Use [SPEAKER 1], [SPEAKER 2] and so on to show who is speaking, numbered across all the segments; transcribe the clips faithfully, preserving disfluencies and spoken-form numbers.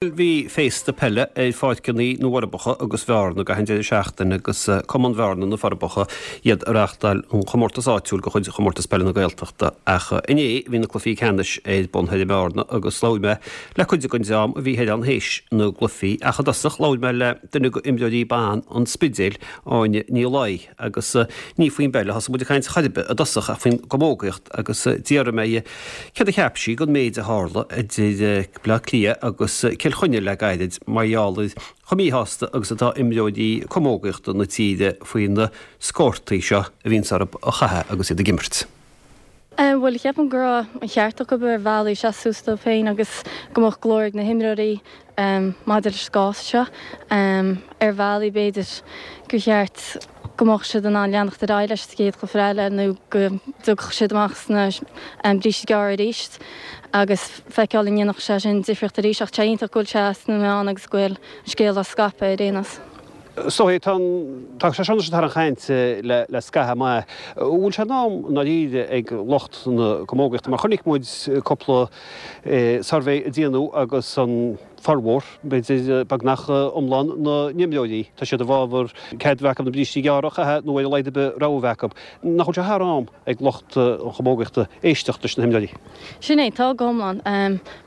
[SPEAKER 1] Bhí féasta peile ar pháirceanna na bhForbacha agus Bhearna gach aon deireadh seachtaine agus Cumann Bhearna na Forbacha iad a reáchtáil an chomórtas áitiúil de chuid Chomórtas Peile na Gaeltachta. Ach inné bhí na cluichí ceannais ar bun thoir i mBearna agus labhair mé le cuid den dream a bhí thoir ann théis na gcluichí. Ach i dtosach labhair mé le duine d'imreoirí ban an Spidéil, Áine Ní Laoi, agus ní faoin bpeil a thosaigh muid ag caint chor ar bith i dtosach ach faoin gcamógaíocht agus d'fhiafraigh mé dhi céard a cheap sí den méid a tharla idir Bleá Cliath agus Cill Chainnigh le gairid mar gheall ar chomh míshásta agus atá imreoirí camógaíochta na tíre faoi na scórtaí seo a bhíonns orthu a chaitheamh agus iad ag imirt.
[SPEAKER 2] Bhuel, ceapaim go raibh an ceart acu ar bhealaí seasamh suas dóibh féin agus go mbeadh glór ag na himreoirí maidir leis an gcás seo. Ar bhealaí b'fhéidir gur cheart go mbeadh siad in ann leanacht ar aghaidh leis sa chéad chluiche eile nó go dtiocfadh siad amach sna brístí gearra arís agus feiceáil an ndéanfadh sé sin difríocht arís ach tá sé iontach go bhfuil sé sna meáin agus go bhfuil an scéal á scaipeadh ar aon nós.
[SPEAKER 1] So tá tá sé seo thar an chaint le le scaitheamh maith. Bhfuil sé in am i ndáiríre ag lucht na camógaíochta mar chonaic muid cúpla suirbhé a déanadh agus an formhór, b'fhéidir beagnach iomlán na n-imreoirí, tá siad i bhfabhar cead a bheith acu na brístí gearra a chaitheamh nó ar a laghad ar bith rogha a bheith acu. Nach bhfuil sé thar am ag lucht an chamógaíochta éisteacht leis na himreoirí?
[SPEAKER 2] Sin é, tá go hiomlán.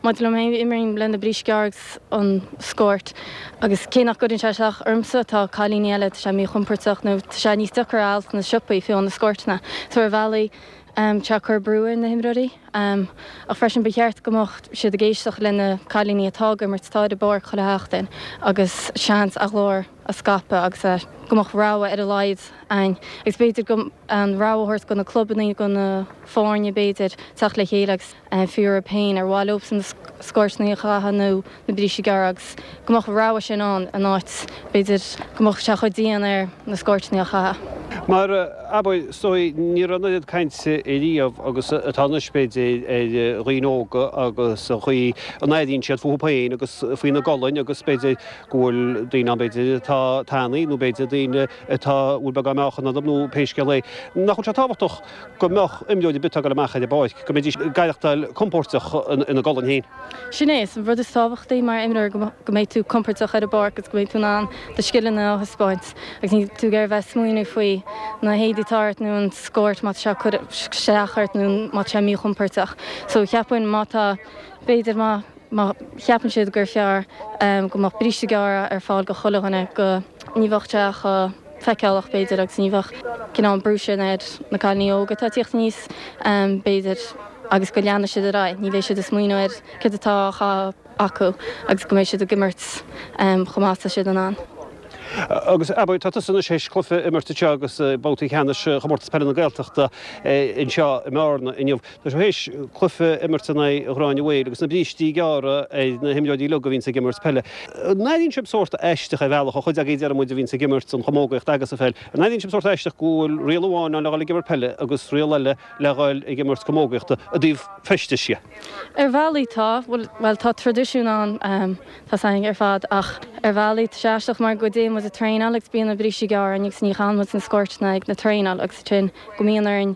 [SPEAKER 2] Maidir liom féin, imrím le na brístí gearra agus an scórt agus cé nach gcuireann sé isteach ormsa, tá cailíní eile, tá sé míchompordach nó tá sé níos deacra a fháil sna siopaí, fiú na scórtanna. So ar bhealaí, tá sé ag cur brú ar na himreoirí. Ach freisin ba cheart go mbeadh siad ag éisteacht le na cailíní atá ag imirt, atá ar an bpáirc chuile sheachtain agus seans a nglór a scaipeadh agus go mbeadh rogha ar a laghad ann. Agus b'fhéidir go an rogha a thabhairt do na clubanna, do na foirne b'fhéidir, teacht le chéile agus fiú orthu féin ar mhaith leobsan na scórtanna a chaitheamh nó na brístí gearra agus go mbeadh an rogha sin ann in áit b'fhéidir go mbeadh sé chomh dian ar na scórtanna a chaitheamh.
[SPEAKER 1] Mar abair, is dóigh, ní raibh an oiread cainte riamh agus atá anois b'fhéidir ar dhaoine óga agus an chaoi a n-airíonn siad fúthu féin agus faoina gcolainn agus b'fhéidir go bhfuil daoine ann b'fhéidir atá tanaí nó b'fhéidir daoine atá bhfuil beagán meáchan orthu nó pé scéal é. Nach bhfuil sé tábhachtach go mbeadh imreoir ar bith ag dul amach ar an bpáirc, go mbeidís ag aireachtáil compóirteach ina gcolainn féin?
[SPEAKER 2] Sin é, is an rud is tábhachtaí mar imreoir go mbeidh tú compordach ar an bpáirc agus go mbeidh tú in ann do scileanna a thaispeáint agus níl tú ag iarraidh bheith ag smaoineamh faoi na héadaí atá ort nó an scórt má tá sé ag cur isteach ort nó má tá sé míchompordach. So cheapfainn má tá, b'fhéidir má má cheapann siad gur fearr go mbeadh bríste gearra ar fáil go chuile dhuine go ní bheadh sé chomh feiceálach b'fhéidir agus ní bheadh cineál an brú sin ar na cailíní óga atá ag tíocht aníos b'fhéidir agus go leanfaidh siad ar aghaidh, ní bheidh siad ag smaoineamh ar céard atá á chaitheamh acu agus go mbeidh siad ag imirt chomh maith is atá siad in ann.
[SPEAKER 1] Agus abair, tá tusa anois théis cluiche a imirt anseo agus babhtaí ceannais Chomórtas Peile na Gaeltachta anseo i mBearna inniu. Tá tú théis cluiche a imirt in aghaidh Ghráinne Mhaol agus na brístí gearra ar na himreoirí uilig a bhíonns ag imirt peile. An airíonn sibh sórt aisteach ar bhealach, an chuid agaibh déarfaidh muid a bhíonns ag imirt an chamógaíocht agus an pheil, an airíonn sibh sórt aisteach go bhfuil riail amháin ann le dhul ag imirt peile agus riail eile le dhul ag imirt camógaíochta i dtaobh feistis dhe?
[SPEAKER 2] Ar bhealaí tá, bhuel tá traidisiún ann, tá 's againn ar fad ach ar bhealaí tá sé aisteach mar go dtéann muid ag traenáil agus bíonn na brístí gearra orainn agus ní chaitheann muid na scórtanna ag na traenáil agus ansin go mbíonn orainn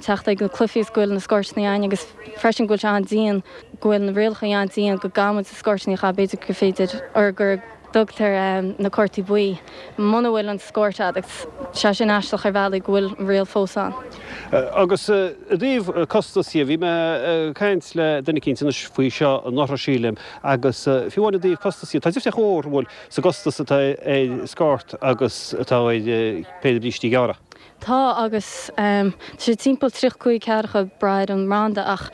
[SPEAKER 2] teacht ag na cluichí is go bhfuil na scórtanna againn agus freisin go bhfuil sé an-dian, go bhfuil na rialacha an-dian go gcaithfidh muid na scórtanna a chaitheamh, b'fhéidir gur féidir or gur dtugtar na cártaí buí muna bhfuil an scórt agat agus sé sin aisteach ar bhealaí go bhfuil an riail fós ann.
[SPEAKER 1] Agus i dtaobh costas dhe, bhí mé ag caint le duine eicínt anois faoi seo anuraidh sílim agus fiú amháin i dtaobh costas dhe, tá difríocht mhór, an bhfuil, sa gcostas atá ar scórt agus atá ar péire brístí gearra.
[SPEAKER 2] Tá agus tá sé timpeall tríocha cúig ceathracha ag brath ar an mbranda ach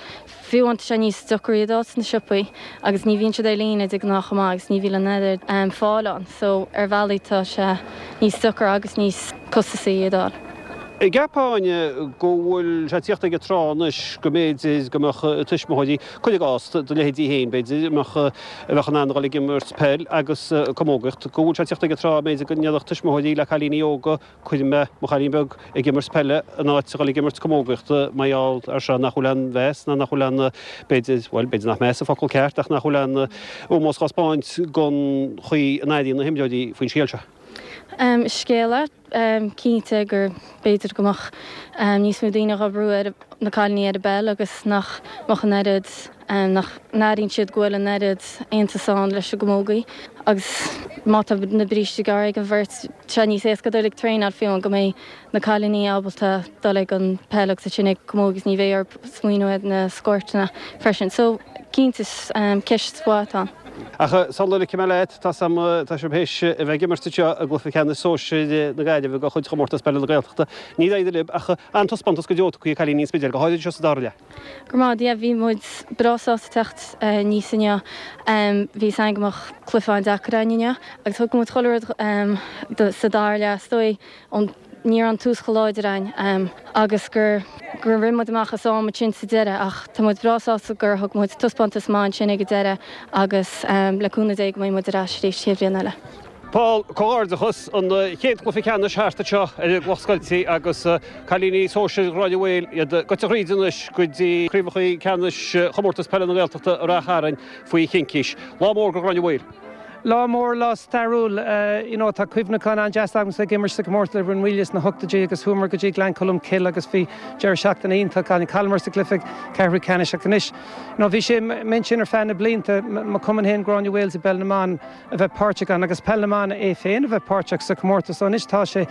[SPEAKER 2] fiú amháin tá sé níos deacra iad a fháil sna siopaí agus ní bhíonn siad ar líne de ghnáth chomh maith agus ní bhíonn an oiread fáil ann so ar bhealaí tá sé níos deacra agus níos costasaí iad a fháil.
[SPEAKER 1] An gceapfá, Áine, go bhfuil sé ag tíocht ag an tráth anois go mb'fhéidir go mbeadh tuismitheoirí, cuir i gcás, do leithéidí féin b'fhéidir, a mbeadh a bheadh in ann a dhul ag imirt peil agus camógaíocht, go bhfuil sé ag tíocht ag an tráth b'fhéidir go ndéarfadh tuismitheoirí le cailíní óga Cuirfidh mé mo chailín beag ag imirt peile in áit a dhul ag imirt camógaíochta mar gheall ar seo nach bhfuil aon mheas ná nach bhfuil aon, b'fhéidir, bhuel, b'fhéidir nach meas an focal ceart ach nach bhfuil aon ómós dhá spáint don chaoi a n-airíonn na himreoirí faoin scéal seo.
[SPEAKER 2] Um, scéal é um, cinnte gur b'fhéidir go mbeadh um, níos mó daoine ag brú ar na cailíní ar an bpeil agus nach mbeadh an oiread um, nach n-airíonn siad go bhfuil an oiread aontas ann leis an gcamógaí agus má tá na brístí gearr ag an bheirt sé níos éasca dul ag traenáil fiú go mbeidh na cailíní ábalta dul ag an peil agus sin ag camógaí ní bheidh orthu smaoineamh na scortanna freisin. So cinnte um, ceist mhaith atá.
[SPEAKER 1] Ach sula ligfidh mé leat tá tá sibh théis a bheith ag imirt seo i gcluiche ceannais sóisir na Gaillimhe de chuid chomórtas peile na Gaeltachta. Ní éidir lib ach an-taispeántas go deo chuí cailíní an Spidéil go háirithe seo sa dara leath.
[SPEAKER 2] Go maith bhí muid breá sásta teacht níos inniu bhí san go mbeadh cluiche an-deacair inniu agus thug muid chuile rud sa dara leath stoi ón ní an tús chomh láidir ann um, agus gur gur rinne muid amach as am sin sa deireadh ach tá muid breá sásta gur thug muid taispeántas maith sin ag an deireadh agus um, le cúnamh Dé go mbeidh muid ar ais arís chéad bhliain eile.
[SPEAKER 1] Paul comhghairdeachas an chéad chluiche ceannais thart seo ar an gCloch Scoilte agus cailíní sóisir Ghráinne Mhaoil iad gaibhte thríd anois go dtí craobhacha ceannais chomórtas peile na Gaeltachta i Ráth Chairn faoi chincís. Lá mór go Ghráinne Mhaoil.
[SPEAKER 3] Lá mór lá stairiúil you know, tá cuimhneachán an-deas agam ag imirt sa comórtas le Rinn Mhaoile sna hochtóidí agus chuamar go dtí Gleann Cholm Cille agus bhí deireadh seachtaine iontach an chailleamar sa gcluiche ceathrú ceannais ach anois. No, bhí sé min sin ar feadh na blianta mo chumann féin Gráinne Mhaol i bpeil na mban a bheith páirteach ann agus peil na mban é féin a bheith páirteach sa comórtas anois tá sé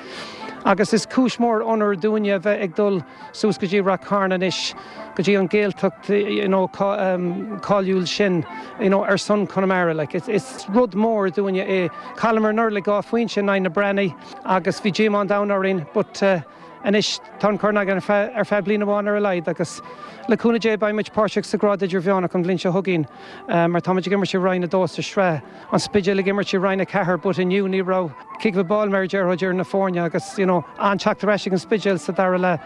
[SPEAKER 3] agus is cúis mór onóir dúinne a bheith ag dul suas go dtí Ráth Chairn anois go dtí an Gaeltacht you know, um, cáiliúil sin you know, ar son Conamara like, it's, it's rud mór dúinne é chailleamar anuraidh le dhá phointe in aghaidh na Breathnaigh agus bhí díomá an domhain orainn, but uh, anois tá an corn againn ar feadh bliain amháin ar a laghad agus le cúnamh Dé beidh muid páirteach sa grád idirmheánach an bhliain seo chugainn uh, mar táimid ag imirt i Roinn a dó sa sraith an Spidéal ag imirt i Roinn a ceathair, but inniu ní raibh kick of a ball mar deirtear na foirne agus you know, an teacht ar ais an Spidéal sa dara leath.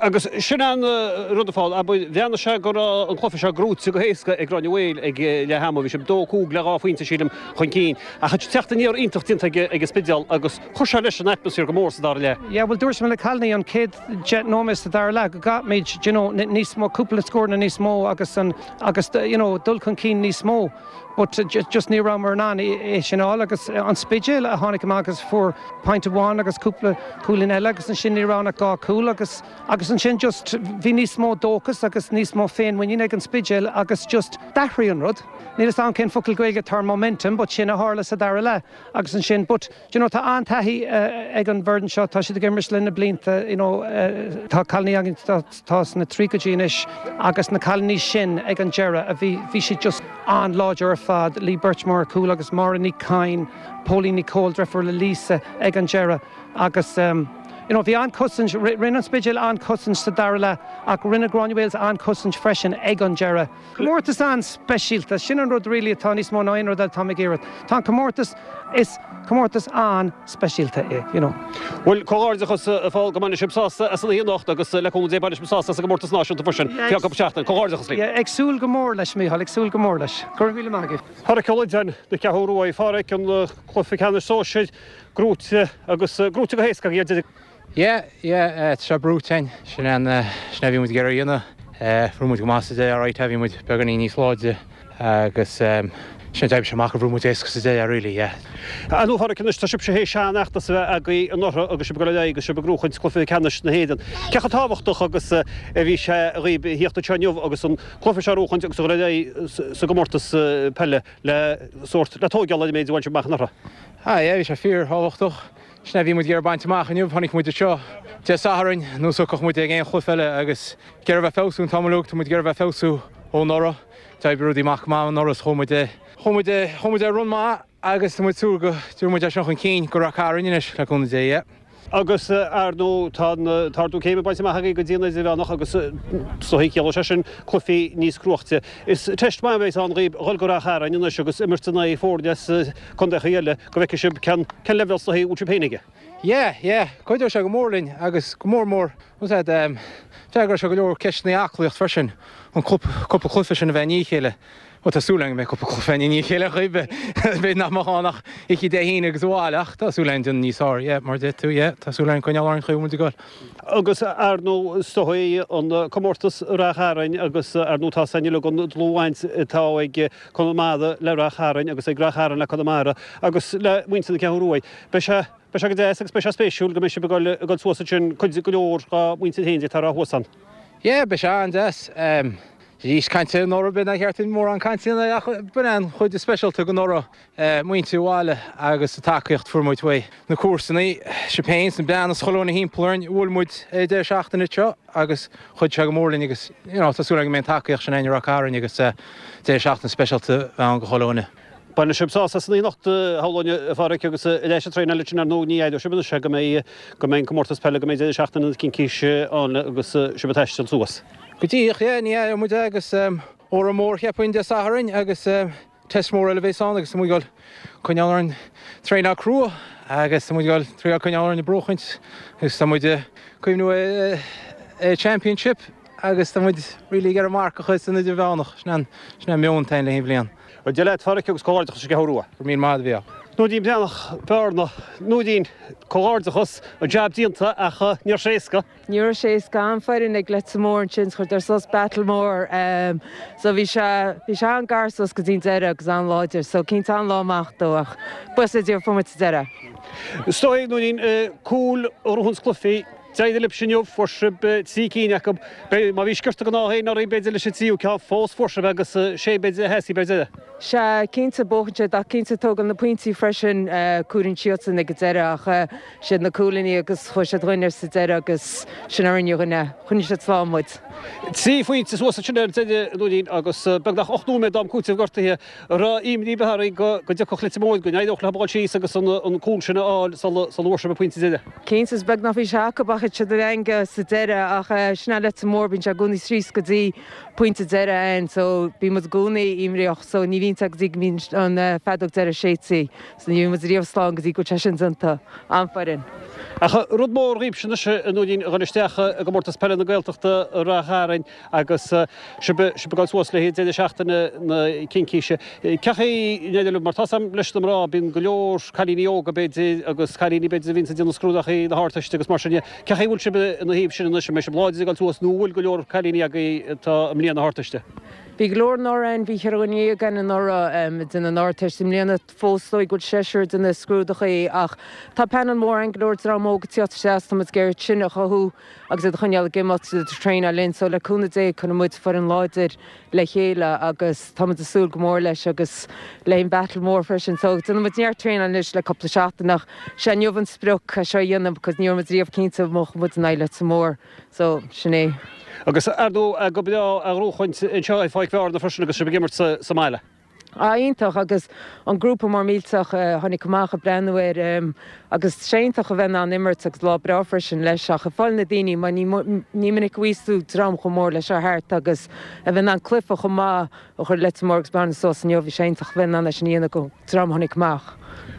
[SPEAKER 1] Agus sin an rud fáil a bheanna sé gur an cluiche seo gnóthaithe go héasca ag Gráinne Mhaoil ag leath ama bhí sé dó cúig le dhá phointe sílim chun cinn. Ach teacht aniar iontach déanta ag an Spidéal agus chuir sé leis an atmaisféar go mór sa dara leath.
[SPEAKER 3] Ja, well dúirt mé le cailíní an chéad deich nóiméad sa dara leath go gcaithfimid you know, níos mó cúpla scór níos mó agus an agus you know, dul chun cinn níos mó. But just, just ní raibh muid in ann é sin á agus an Spidéal a tháinig amach agus fuair pointe amháin agus cúpla cúilín eile agus ansin ní raibh ach dhá cúl agus agus ansin just bhí níos mó dóchas agus níos mó féinmhuinín ag an Spidéal agus just d'athraigh an rud. Níl a fhios agam cén focal Gaeilge atá ar momentum, but sin a tharla sa dara leath agus ansin, but you know, tá an-taithí uh, ag an bhfoireann seo tá siad ag imirt le na blianta you know, uh, tá cailíní againn tá sna tríochaidí anois agus na cailíní sin ag an deireadh a bhí bhí siad just an-láidir ar fad Lee Birchmore cúl agus Máire Ní Cain, Pauline Nicole deirfiúr le Lisa ag an deireadh agus um, You know, bhí an-chosaint rinne an Spidéal an-chosaint sa dara leath ach rinne Gráinne Mhaol an-chosaint freisin ag an deireadh. Comórtas an-speisialta sin an rud really atá níos mó ná aon rud atá ag iarraidh. Tá comórtas is comórtas an-speisialta é, you know.
[SPEAKER 1] Well comhghairdeachas a Phóil go mbeidh sibh sásta as an anocht agus le cúnamh Dé beidh sibh sásta sa gcomórtas náisiúnta freisin cúpla seachtain comhghairdeachas libh.
[SPEAKER 3] Ag súil go mór leis Mícheál ag súil go mór leis. Gur mhíle maith.
[SPEAKER 1] Pádraic Ó Loideáin na Ceathrún Rua Phádraic an cluiche ceannais sóisir gnóthaithe agus gnóthaithe go héasca iad
[SPEAKER 4] Yeah, yeah, tá brútain sin an sin a bhí muid ag iarraidh a dhéanamh bhí muid go maith sa deireadh right bhí muid beagáinín níos láidre agus sin d'oibrigh sé amach a bhí muid éasca sa deireadh really, yeah.
[SPEAKER 1] Anú Phádraic anois tá sibhse théis seanfheachtas a bheith agaibh anuraidh agus sibh ag dul agus sibh ag gnóchaint cluiche ceannais na hÉireann. Cé chomh tábhachtach agus a bhí sé dhaoibh theacht anseo inniu agus an cluiche seo a ghnóchaint agus a dhul sa gcomórtas peile le sórt le tógáil ar an méid a bhain sibh amach anuraidh.
[SPEAKER 4] Ah, yeah, bhí sé fíorthábhachtach. Sin a bhí muid ag iarraidh baint amach inniu tháinig muid seo Dé Sathairn nó socach muid ag aon chluiche eile agus ag iarraidh bheith feabhsú an t-am uilig tá muid ag iarraidh bheith feabhsú ó anuraidh. D'oibrigh rudaí amach maith anuraidh chuaigh muid chuaigh muid chuaigh muid ar run maith agus tá muid súil go dtabharfaidh muid é seo chun cinn go Ráth Cairn anois le cúnamh Dé, yeah.
[SPEAKER 1] Agus ar ndóigh tá ardú céime bainte amach agaibh go dtí an idirmheánach agus soithí ciall sé sin cluichí níos cruaite. Is teist maith a bheidh ann dhaoibh dhul go Ráth Chairn anois agus imirt in aghaidh foirne as contaetha eile go bhfeicfidh sibh cén cén leibhéal soithí bhfuil sibh féin aige.
[SPEAKER 4] Yeah, yeah, cuideoidh sé go mór linn agus go mór mór um, D'fhreagair sé go leor ceisteanna aclaíocht freisin an cúpla cluiche sin a bheith ní chéile. Bhuel tá súil agam go mbeidh cúpla cluiche i ndiaidh a chéile chuige, b'fhéidir nach mbeadh ann ach oíche Dé hAoine agus abhaile ach tá súil agam déanamh níos fearr, yeah, mar a deir tú, yeah, tá súil agam coinneáil orainn chaoi a bhfuil muid ag dul.
[SPEAKER 1] Agus ar ndóigh is dóigh an comórtas Ráth Chairn agus ar ndóigh tá a fhios againn uilig an dlúthbhaint atá ag Conamara le Ráth Chairn agus ag Ráth Chairn le Conamara agus le muintir na Ceathrún Rua. Beidh sé beidh sé go deas agus beidh sé spéisiúil go mbeidh sibh ag dul ag dul suas ansin cuid go leor dá muintir féin atá thuas ann.
[SPEAKER 4] Yeah, beidh sé an-deas. Arís cainte anuraidh b'fhéidir nár cheart mórán cainte ach b'in an chuid is speisialta den anuraidh, muintir bhaile agus an tacaíocht fuair muid uaidh na comharsanaí, sibh féin, na beanna is chuile dhuine thimpeall orainn, bhuail muid ar deireadh seachtaine seo agus chuidigh sé go mór linn agus you know tá súil agam go mbeidh an tacaíocht sin againn i Ráth Cairn agus deireadh seachtaine speisialta a bheidh ann do chuile dhuine.
[SPEAKER 1] Bainfidh sibh sásamh as an oíche anocht, shamhlóinn, a Pháraic, agus ar ais ag traenáil ansin ar ndóigh ní aireoidh sibh anois go mbeidh go mbeidh an comórtas peile, go mbeidh deireadh seachtaine na cincíse ann agus sibh ag taisteal suas.
[SPEAKER 4] Go díreach, yeah, ní aireoidh muid é agus óra mór cheapfainn Dé Sathairn agus test mór eile a bheas ann agus tá muid ag dul coinneáil orainn traenáil crua agus tá muid ag dul triail coinneáil orainn ag buachaint agus tá muid ag cuimhniú ar championship agus tá muid really ag iarraidh marc a chur san idirmheánach, sin an sin an meon atá againn le haghaidh an bhliain.
[SPEAKER 1] Bhuel, Dia leat, a Pháraic, agus comhghairdeachas leis an gCeathrú Rua.
[SPEAKER 4] Go raibh míle maith agat, a Mhícheáil.
[SPEAKER 1] Núidín Breathnach, Bearna, Núidín, comhghairdeachas, an jab déanta ach ní raibh sé éasca.
[SPEAKER 5] Ní raibh sé éasca, an-fhoireann ag Leitir Móir ansin, chuireadar suas battle mór so bhí sé, bhí sé an-gar suas go dtí an deireadh agus an-láidir so cinnte an-lá amach dó ach buíochas le Dia fuair muid sa deireadh.
[SPEAKER 1] Is dóigh, Núidín, cúil a ghnóthaíonns cluichí, D'éirigh libhse inniu, fuair sibh trí cinn acu. Má bhí sciorta den ádh féin oraibh, b'fhéidir, leis an tríú ceann, fós fuair sibh agus sé b'fhéidir a theastaigh ar deireadh.
[SPEAKER 5] Sea, cinnte, buachan sé, ach cinnte tógann na pointí freisin, cabhraíonn siadsan ag an deireadh ach siad na cúilíní agus chuaigh siad dhúinn ar sa deireadh agus sin a rinne dhúinn é. Choinnigh siad slán muid.
[SPEAKER 1] Trí phointe suas ansin ar deireadh, a Nóirín, agus beagnach ocht nóiméad d'am cúitimh gortaithe. An raibh imní ar bith oraibh go dtiocfadh Leitir Móir, go n-éireodh leo a dhul síos agus an cúl sin a fháil sula bhfuair sibh an pointe deiridh?
[SPEAKER 5] Cinnte, is beag nach bhí sé acu ach thit siad i dteanga sa deireadh ach sin é Leitir Móir, bíonn sé i gcónaí síos go dtí pointe deireadh ann so bíonn muid i gcónaí imníoch so ní bhíonn sé go dtí go mbíonn an feadóg deiridh séidte so ní bhíonn muid riamh slán go dtí go bhfuil sé sin déanta. An-fhoireann.
[SPEAKER 1] Ach rud mór dhaoibhse anois, a Nóirín, a dhul isteach i gComórtas Peile na Gaeltachta i Ráth Chairn agus sibh ag dul suas le haghaidh deireadh seachtaine na Cincíse. Cén chaoi a n-éireoidh libh? Mar tá 's a'm leis na mná, bíonn go leor cailíní óga b'fhéidir agus cailíní b'fhéidir a bhíonns ag déanamh scrúdachaí na hArdteiste agus mar sin de. Cén chaoi a bhfuil sibh ina thaobh sin anois? An mbeidh sibh láidir ag dul suas nó an bhfuil go leor cailíní agaibh atá i mbliain na hArdteiste?
[SPEAKER 5] Bhí go leor anuraidh ann, bhí ceithre dhuine dhéag ann anuraidh ag déanamh an Ardteist. I mbliana fós is dóigh go bhfuil seisear ag déanamh scrúdachaí ach tá panel mór ann, go leor dream óg ag tíocht isteach is tá muid ag iarraidh sin a chothú agus iad a choinneáil ag imeacht, iad ag traenáil linn. So le cúnamh Dé cuirfidh muid foireann láidir le chéile agus tá muid ag súil go mór leis agus le an battle mór freisin. So déanann muid neart traenáil anois le cúpla seachtain ach sé inniu an sprioc é seo a dhéanamh because ní raibh muid riamh cinnte an mbuafadh muid in aghaidh Leitir Móir. So sin é.
[SPEAKER 1] Agus ar ndóigh go breá a ghnóthachaint anseo i Pháirc Bhearna freisin agus sibh ag imirt sa mbaile.
[SPEAKER 5] Ah iontach agus an grúpa mór millteach a tháinig amach ag breathnú air agus sé iontach a bheith in ann imirt agus lá breá freisin leis ach ag fáil na daoine mar ní ní minic a bhíos tú dream chomh mór leis seo thart agus a bheith in ann cluiche chomh maith a chur Leitir Móir agus Bearna suas inniu bhí sé iontach a bheith in ann é sin a dhéanamh go dream a tháinig amach.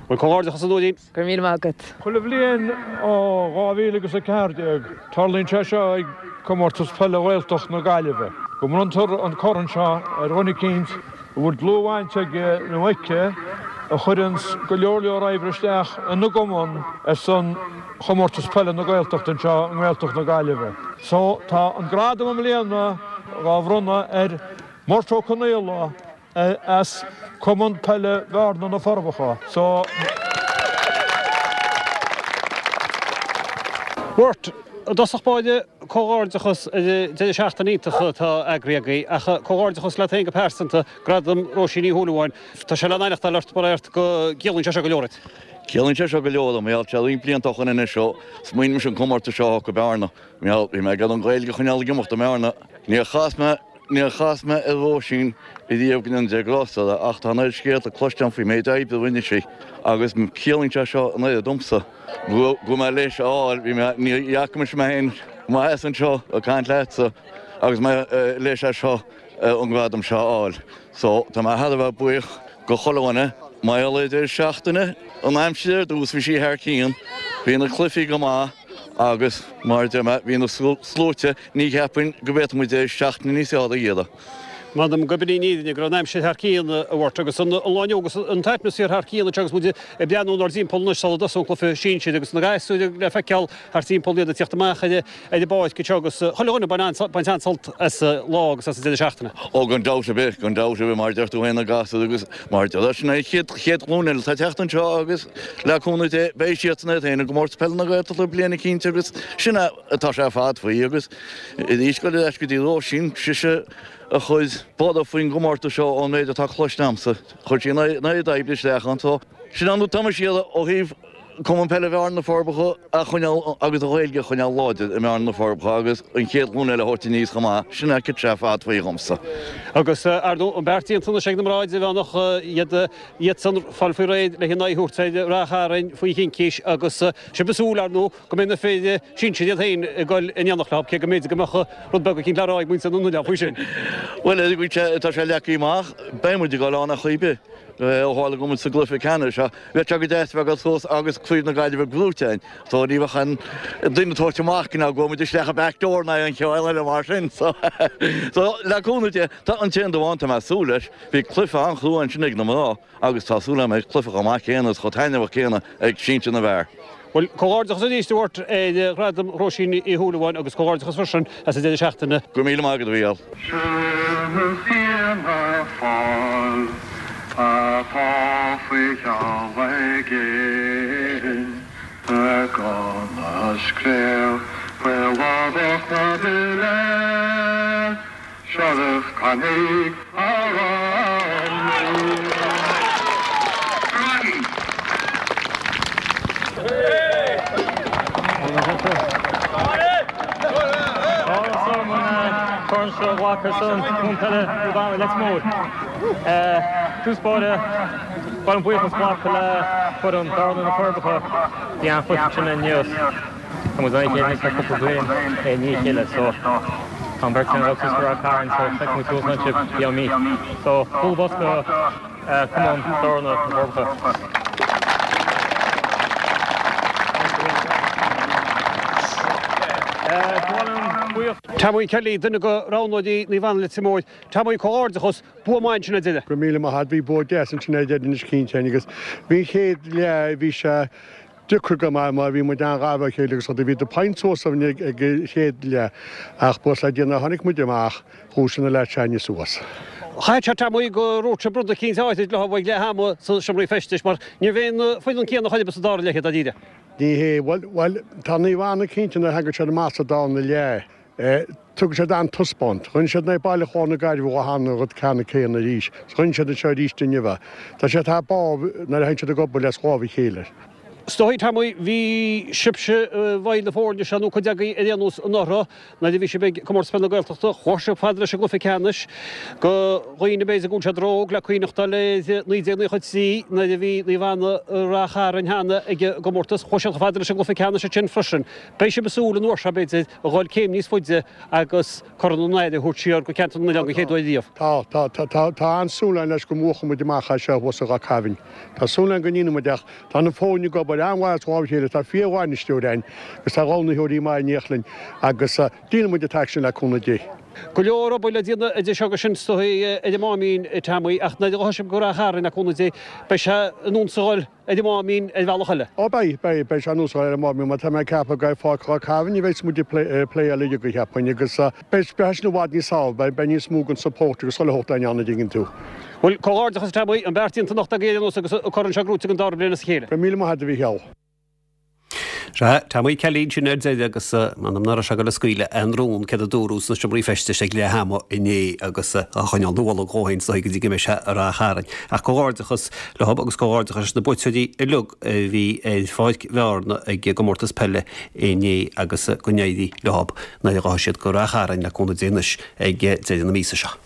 [SPEAKER 1] Bhuel comhghairdeachas a Nóirín.
[SPEAKER 5] Go raibh míle maith agat.
[SPEAKER 6] Chuile bhliain ó dhá mhíle agus a ceathair déag, tarlaíonn sé seo ag Comórtas Peile Ghaeltacht na Gaillimhe, go mbronntar an corn seo ar dhuine eicínt a bhfuil dlúthbhaint aige nó aici a chuireanns go leor leor oibre isteach ina gcumann ar son Chomórtas Peile na Gaeltachta anseo i nGaeltacht na Gaillimhe. So, tá an gradam i mbliana dhá bhronnadh ar Murt Ó Conaola, as Cumann Peile Bhearna na Forbacha. So.
[SPEAKER 1] Murt, i dtosach báire, comhghairdeachas ar an deireadh seachtaine iontach atá eagraithe agaibh, ach comhghairdeachas leat féin go pearsanta, Gradam Róisín Ní Shúilleabháin. Tá sé le n-aithneachtáil ort, mar ort go gciallaíonn sé seo go leor duit.
[SPEAKER 7] Ciallaíonn sé seo go leor dom, mar gheall, tá roinnt blianta ó shoin anois ó smaoinigh mise an comórtas seo a thóg go Bearna. Mar gheall, bhí mé ag iarraidh an Ghaeilge a choinneáil ag imeacht i mBearna. Níor chas mé Níor chas mé ar Róisín riamh go ndéana Dia grásta uirthi ach tá an oiread scéalta cloiste agam faoin méid oibre a rinne sí agus ciallaíonn sé seo an oiread domsa go raibh mé leis a fháil. Bhí mé, ní fhaca mise mé féin i mo sheasamh anseo ag caint leatsa agus mé leis é seo an gradam seo a fháil. So tá mé thar a bheith buíoch go chuile dhuine. Mar gheall ar an deireadh seachtaine, an aimsir ar dtús bhí sí thar cionn, bhí na cluichí go maith agus mar a deir mé bhí na sluaite, ní cheapfainn go bhféadfadh muid deireadh seachtaine níos fearr a iarraidh.
[SPEAKER 1] M'anam gurb in í an fhírinne go raibh an aimsir thar cionn a Mhairt agus an lá inniu agus an t-atmaisféar thar cionn anseo agus muid ag breathnú inár dtimpeall anois sula dtosóidh an cluiche sinsir agus na gasúir le feiceáil thart timpeall iad ag tíocht amach ar an bpáirc anseo agus chuile dhuine ag baint an-sult as an lá agus as an deireadh seachtaine.
[SPEAKER 7] Ó gan dabht ar bith, gan dabht ar bith mar a deir tú féin na gasúir agus mar a deir sin é an chéad chéad ghlúin eile atá ag teacht anseo agus le cúnamh Dé beidh siadsan iad féin i gcomórtas peile na Gaeltachta bliain eicínt agus sin é atá sé ar fad faoi agus arís goil ar ais go dtí Róisín, sise a chuir borradh faoin gcomórtas seo ón méid atá cloiste agamsa. Chuir sí an oiread oibre isteach ann so sin an rud atá mise a iarraidh ó thaobh Cumann Peile Bhearna na Forbacha a choinneáil agus an Ghaeilge a choinneáil láidir i mBearna na Forbacha agus an chéad ghlúin eile a thabhairt aníos chomh maith. Sin é cad tá sé ar fad faoi dhomsa.
[SPEAKER 1] Agus ar ndóigh an beart déanta anois ag na mná idirmheánach iad iadsan fáil faoi réir le haghaidh a thabhairt ar Ráth Chairn faoi chincís agus sibh ag súil ar ndóigh go mbeidh na fir sinsir iad féin ag dul in éineacht leo, cé go mb'fhéidir go mbeadh rud beag eicínt le rá ag muintir na n-oileán faoi sin.
[SPEAKER 7] Bhuel, tá sé leagtha amach, beidh muid ag dul ann ar chaoi ar bith. Ó tharla go bhfuil muid sa gcluiche ceannais seo, bheadh sé go deas bheith ag dul suas agus Craobh na Gaillimhe gnóite againn. So ní bheadh aon duine ag tabhairt amach go bhfuil muid isteach an back door ná aon chiall eile mar sin. So, so le cúnamh Dé, tá an t-aon rud amháin tá mé ag súil leis, bhí cluiche an-chrua ansin ag na mná agus tá súil agam go mbeidh cluiche chomh maith céanna is chomh taitneamhach céanna ag sinsir na bhfear.
[SPEAKER 1] Bhuel, comhghairdeachas arís a Mhairt ar Ghradam Róisín Uí Shúilleabháin agus comhghairdeachas freisin as an deireadh seachtaine.
[SPEAKER 7] Go raibh míle maith agat, a Mhícheáil.
[SPEAKER 8] Sin Fianna Fáil atá faoi cheal ag Éirinn gan a scréach faoladach na bile Sheriff Coinnigh
[SPEAKER 9] Corn seo a ghlacadh ar son Chumann Peile Naomh Anna Leitir Móir. Tús báire, ba mhaith liom buíochas a ghlacadh le foireann Bhearna na Forbacha. Bhí an-chluiche ansin inniu. Tá muid in aghaidh a chéile anois le cúpla bliain i ndiaidh a chéile so tá an bheirt againn ag dul suas go Ráth Cairn so feicfidh muid thuas ansin sibh i gceann mí. So bualadh bos go Cumann Bhearna na Forbacha.
[SPEAKER 1] Tommy Kelly, duine de roghnóirí Naomh Anna Leitir Móir. Tommy, comhghairdeachas, bua maith ansin ar deireadh.
[SPEAKER 10] Go raibh míle maith agat. Bhí bua deas ansin ar deireadh anois cinnte agus bhí an chéad leath, bhí sé deacair go maith mar bhí muid an-ghar dá chéile agus rudaí. Bhí na points suas againn ag an chéad leath ach buíochas le Dia nuair a tháinig muid amach, dhúisigh na leaids s'againne suas.
[SPEAKER 1] Chaithfeadh sé Tommy go ndúirt sibh rud eicínt áithrid leo ag leath ama sna seomraí feistis mar ní raibh aon foireann céanna chor ar bith sa dara leath dáiríre.
[SPEAKER 10] Ní hé, bhuel, bhuel, tá Naomh Anna cinnte nuair a thagann siad amach sa darna leath, tugann siad an-taispeáint. Rinne siad in aghaidh Baile Chláir na Gaillimhe cheana an rud ceannann céanna arís. Rinne siad anseo arís inniu é. Tá siad thar barr nuair a thagann siad ag obair as lámh a chéile.
[SPEAKER 1] Is dóigh, Tommy, bhí sibhse i bhfeighil na foirne seo, nó cuid agaibh ar aon nós, anuraidh nuair a bhí sibh ag Comórtas Peile na Gaeltachta. Chuaigh sibh fada leis an gcluiche ceannais. Do dhaoine b'fhéidir go bhfuil siad ró-óg le cuimhneachtáil ar naoi déag naocha a trí nuair a bhí Naomh Anna i Rath Chairn cheana ag an gcomórtas. Chuaigh siad chomh fada leis an gcluiche ceannais ansin freisin. Beidh sibh ag súil an uair seo, b'fhéidir, a dhul céim níos faide agus Corn an Aire a thabhairt siar go Ceantar na nOileán den chéad uair riamh.
[SPEAKER 10] Tá, tá, tá, tá, tá an-súil againn leis go mbuachfaidh muid amach é seo thuas i Ráth Cairn. Tá súil againn go ndéanfaidh muid ach tá na foirne ag obair an-mhaith as lámh a chéile, tá fíor-bhainisteoir againn agus tá roghnaitheoirí maithe in éineacht linn agus déanfaidh muid an t-éacht sin le cúnamh Dé.
[SPEAKER 1] Go leor obair le déanamh idir seo agus sin is dóigh ar an Máimín, a Tommy, ach nuair a ghabhfaidh sibh go Ráth Chairn le cúnamh Dé beidh sé ar nós a dhul ar an Máimín ar bhealach eile.
[SPEAKER 10] Ó beidh, beidh, beidh sé ar nós a dhul ar an Máimín mar tá mé ag ceapadh gur ar Pháirc Ráth Cairn a bheas muid ag playáil uilig cheapfainn agus beidh, beidh sin i bhfad níos fearr, beidh, beidh níos mó den support agus chuile shórt againn ann an dtuigeann tú.
[SPEAKER 1] Bhuel, comhghairdeachas a Tommy, an beart déanta anocht agaibh ar aon nós agus an corn seo gnóite den dara bliain as a chéile.
[SPEAKER 10] Go raibh míle maith agat a Mhícheál.
[SPEAKER 1] Sea, Tommy Kelly ansin ar deireadh agus m'anam nach raibh sé ag dul a scaoileadh aon rún céard a dúradh sna seomraí feistis ag leath ama inné agus á choinneáil ina bholg dhó féin is dóigh go dtí go mbeidh sé i Ráth Chairn. Ach comhghairdeachas leo agus comhghairdeachas leis na buaiteoirí uilig a bhí ar Pháirc Bhearna ag an gcomórtas peile inné agus go n-éirí leo nuair a ghabhfaidh siad go Ráth Chairn le cúnamh Dé anois ag deireadh na míosa seo.